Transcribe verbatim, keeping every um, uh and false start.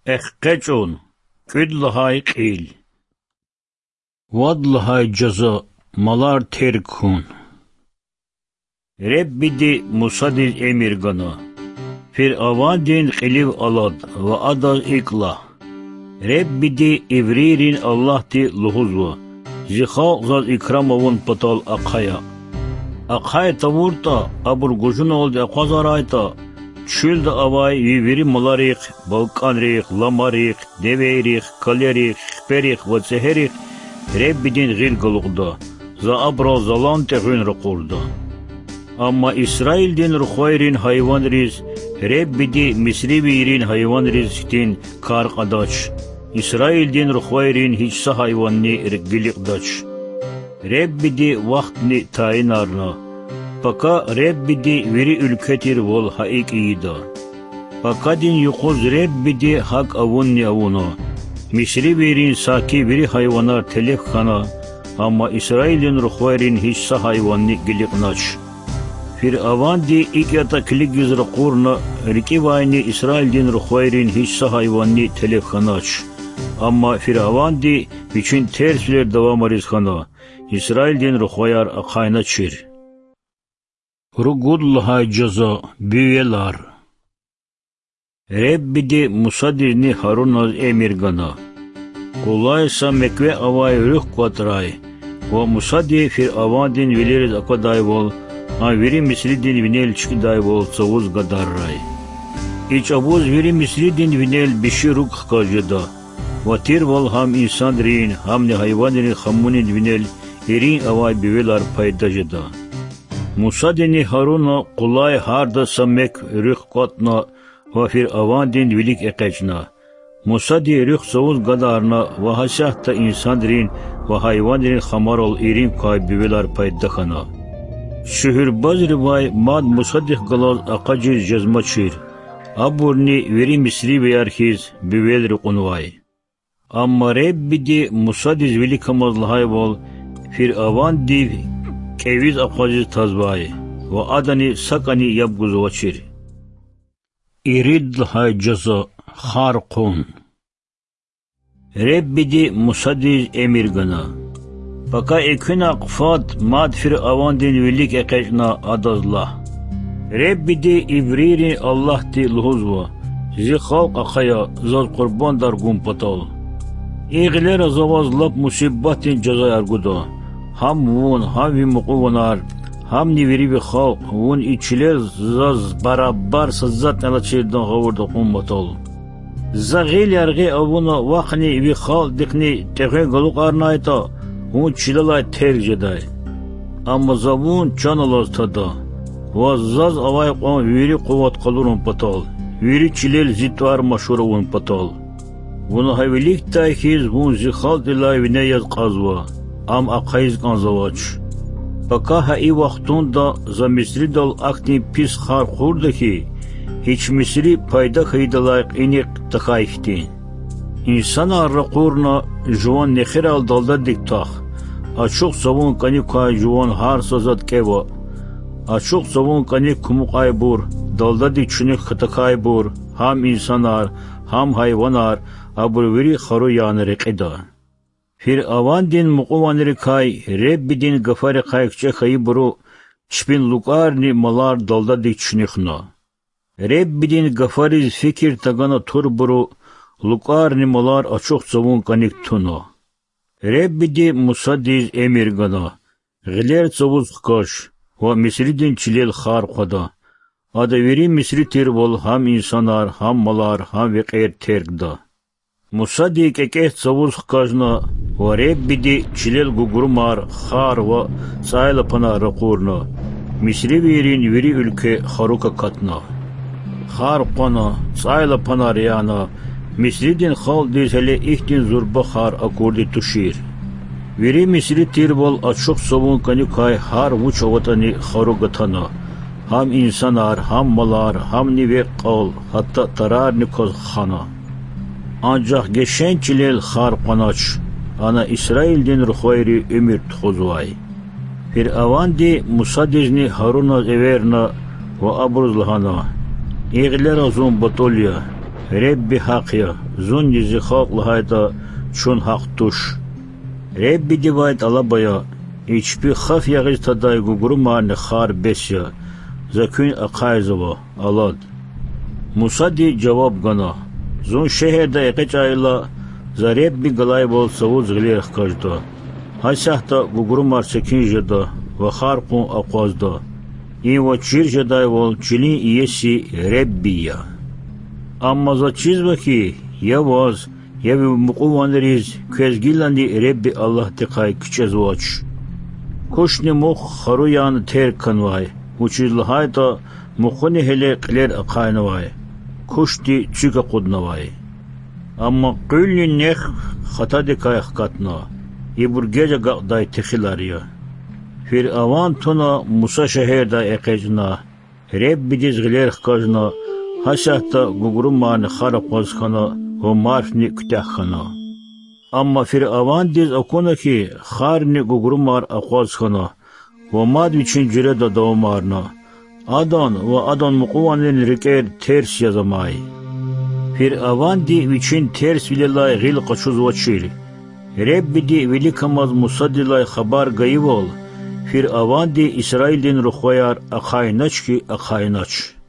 ЭкъечӀун. КӀуьд лагьай кьил. Вад лагьай жаза. Малар терг хьун. Реббиди Мусадиз эмир гана: Фиръавандин кьилив алад ва адаз икӀ лагь: Реббиди, иврийрин Аллагьди, лугьузва: Зи халкь Заз икрам авун патал ахъая. Ахъай тавуртӀа, абур гужуналди акъвазарайтӀа, чуьлда авай ви вири маларихъ, балкӀанрихъ, ламарихъ, девейрихъ, калерихъ, хиперихъ ва цӀегьерихъ Реббидин гъил галукьда, За абурал залан тӀегъуьн ракъурда. Амма Исраилдин рухвайрин гьайванриз Реббиди мисривийрин гьайванриз хьтин кар кьадач, Исраилдин рухвайрин гьич са гьайванни гиликьдач. Реббиди вахтни тайинарна, пака Реббиди вири уьлкве тирвал гьа икӀ ийида. Пакадин юкъуз Реббиди гьакӀ авунни авуна: мисривийрин саки вири гьайванар телеф хьана, амма Исраилдин рухвайрин гьич са гьайванни гиликьнач. Фиръаванди икӀ ятӀа килигиз ракъурна, рикӀивайни Исраилдин рухвайрин гьич са гьайванни телеф хьанач. Амма Фиръаванди вичин терсвилер давамариз хьана, Исраилдин рухваяр ахъайначир. Ругуд лагьай жаза. Буьвелар. Реббиди Мусадизни Гьаруназ эмир гана: Къулай са мекве авай руьхъ кӀватӀрай ва Мусади Фиръавандин вилериз аквадайвал, ам вири Мисридин винел чкӀидайвал цавуз гадаррай. И чӀавуз вири Мисридин винел биши руг хкаж жеда, ва тирвал гьам инсанрин, гьамни гьайванрин хамунин винел ирин авай буьвелар пайда жеда. Мусадини Гьаруна къулай гьарда са мекв руьхъ кӀватӀна ва Фиръавандин вилик экъечӀна. Мусади руьхъ цавуз гадарна ва гьасятда инсанрин ва гьайванрин хамарал ирин квай буьвелар пайда хьана. Шуьгьуьрбазривай мад Мусадихъ галаз акъажиз жезмачир, абурни вири мисривияр хьиз буьвелри кьунвай. Амма Реббиди Мусадиз виликамаз лагьайвал, Фиръавандив кӀевиз акъвазиз тазвай ва адани сакӀани яб гузвачир. Ирид лагьай жаза. Хар хъун. Реббиди Мусадиз эмир гана: Пака экуьнахъ фад мад Фиръавандин вилик экъечӀна, адаз лагь: Реббиди, иврийрин Аллагьди, лугьузва: Зи халкь ахъая Заз къурбандар гун патал. И гъилера За ваз лап мусибатдин жазаяр гуда, гьам вун, гьам ви мукьуванар, гьамни вири ви халкь, вун и чилел Заз барабар са затӀни алачирдан гъавурда кьун патал. За гъил яргъи авуна вахъни ви халкьдихъни тӀегъуьн галукьарнайтӀа, вун чилелай терг жедай. Амма За вун чан алаз тада, ва Заз авай кьван вири къуват къалурун патал, вири чилел Зи тӀвар машгьур авун патал. Вуна гьа виликдай хьиз вун Зи халкьдилай вине яз кьазва, ам ахъайиз кӀанзавач. Пака гьа и вахтунда За Мисридал ахьтин пис хар хъурда хьи, гьич мисри пайда хьайидалай кьиникь тахьай хьтин. Инсанар ракъурна: жуван нехирал далдадик твах, ачух цавун кӀаник квай жуван гьар са затӀ кӀева. Ачух цавун кӀаник кумукьайбур, далдадик чуьнуьх катахьайбур, гьам инсанар, гьам гьайванар, абур вири хару яна рекьида. Фиръавандин мукьуванрикай Реббидин гафарихъай кичӀе хьайибуру чпин лукӀарни малар далдадик чуьнуьхна. Реббидин гафариз фикир тагана турбуру лукӀарни малар ачух цавун кӀаник туна. Реббиди Мусадиз эмир гана: Гъилер цавуз хкаж ва Мисридин чилел хар хъвада. Ада вири мисри тирвал гьам инсанар, гьам малар, гьам векьер тергда. Мусади кӀекӀец цавуз хкажна, ва Реббиди чилел гугрумар, хар ва цӀайлапанар ракъурна. Мисривийрин вири уьлкве харук акатна. Хар къвана, цӀайлапанар яна, Мисридин халкьдиз гьеле ихьтин зурба хар акурди тушир. Вири мисри тирвал ачух цавун кӀаник квай гьар вуч аватӀани хару гатана, гьам инсанар, гьам малар, гьамни векь-кьал, гьатта тарарни кваз хана. Анжах Гешен чилел хар къванач, ана Исраилдин рухвайри уьмуьр тухузвай. Фиръаванди Мусадизни Гьаруназ эверна ва абуруз лагьана: И гъилера зун батӀул я. Худа гьахъ я, Зунни Зи халкь лагьайтӀа, чун гьахъ туш. Худадивай тӀалаб ая: и чпи хаф ягъиз тадай гугрумарни хар бес я, За куьн ахъайзава, алад. Мусади жаваб гана: Зун шегьердай экъечӀайла, За Худа галайвал цавуз гъилер хкажда, гьасятда гугрумар секин жеда ва хар кьун акъвазда. И ваз чир жедайвал чилин иеси Худа я. Амма Заз чизва хьи, я ваз, я ви мукьуванриз квез гилани Худа Аллагьдихъай кичӀезвач. Кушни мух хару яна терг хьанвай, вучиз лагьайтӀа мухуни гьеле кьилер ахъайнавай, кушди цуьк акъуднавай. Амма къуьлни нек хатадикай хкатна. Ибур геж агакьдай техилар я. Фиръаван туна, Муса шегьердай экъечӀна, Худадиз гъилер хкажна, гьасятда гугрумарни хар акъваз хьана ва марфни куьтягь хьана. Амма Фиръавандиз акуна хьи, харни гугрумар акъваз хьана ва мад вичин жуьреда давамарна. Адан ва адан мукьувандин рикӀер терс яз амай. Фиръаванди вичин терсвилелай гъил къачузвачир. Худадиди виликамаз Мусадилай хабар гайивал, Фиръаванди Исраилдин рухваяр ахъайнач хьи, ахъайнач.